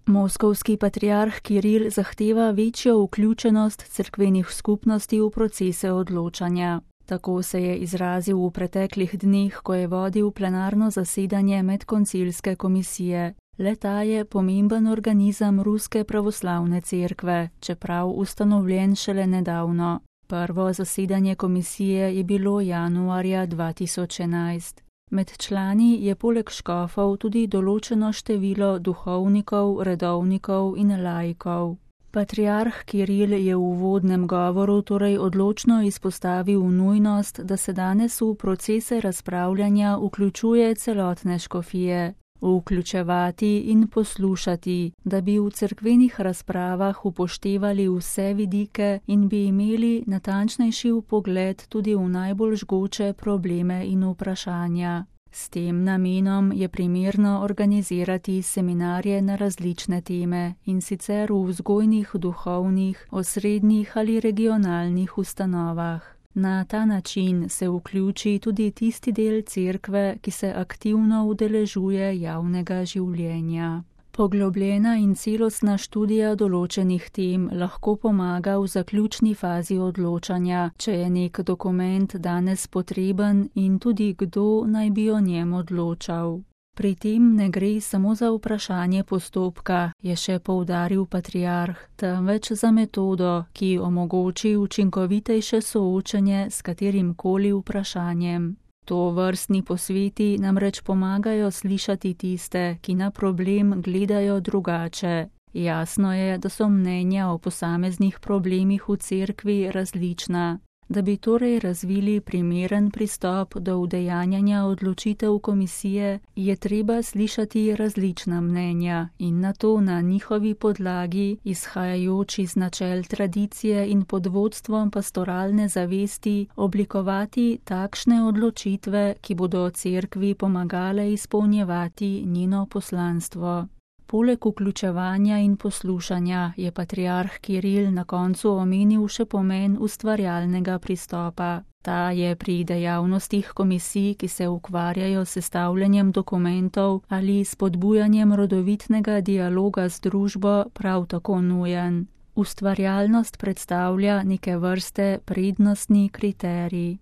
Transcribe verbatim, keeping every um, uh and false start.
Moskovski patriarh Kiril zahteva večjo vključenost cerkvenih skupnosti v procese odločanja. Tako se je izrazil v preteklih dneh, ko je vodil plenarno zasedanje medkoncilske komisije. Le-ta je pomemben organizem Ruske pravoslavne cerkve, čeprav ustanovljen šele nedavno. Prvo zasedanje komisije je bilo januarja dva tisoč enajst. Med člani je poleg škofov tudi določeno število duhovnikov, redovnikov in laikov. Patriarh Kiril je v uvodnem govoru torej odločno izpostavil nujnost, da se danes v procese razpravljanja vključuje celotne škofije. Vključevati in poslušati, da bi v cerkvenih razpravah upoštevali vse vidike in bi imeli natančnejši vpogled tudi v najbolj žgoče probleme in vprašanja. S tem namenom je primerno organizirati seminarje na različne teme, in sicer v vzgojnih, duhovnih, osrednjih ali regionalnih ustanovah. Na ta način se vključi tudi tisti del cerkve, ki se aktivno udeležuje javnega življenja. Poglobljena in celostna študija določenih tem lahko pomaga v zaključni fazi odločanja, če je nek dokument danes potreben in tudi kdo naj bi o njem odločal. Pri tem ne gre samo za vprašanje postopka, je še poudaril patriarh, temveč za metodo, ki omogoči učinkovitejše soočenje s katerimkoli vprašanjem. To vrstni posveti namreč pomagajo slišati tiste, ki na problem gledajo drugače. Jasno je, da so mnenja o posameznih problemih v cerkvi različna. Da bi torej razvili primeren pristop do udejanjanja odločitev komisije, je treba slišati različna mnenja in nato na njihovi podlagi, izhajajoč iz načel tradicije in pod vodstvom pastoralne zavesti, oblikovati takšne odločitve, ki bodo cerkvi pomagale izpolnjevati njeno poslanstvo. Poleg vključevanja in poslušanja je patriarh Kiril na koncu omenil še pomen ustvarjalnega pristopa. Ta je pri dejavnostih komisij, ki se ukvarjajo s sestavljanjem dokumentov ali spodbujanjem rodovitnega dialoga z družbo, prav tako nujen. Ustvarjalnost predstavlja neke vrste prednostni kriterij.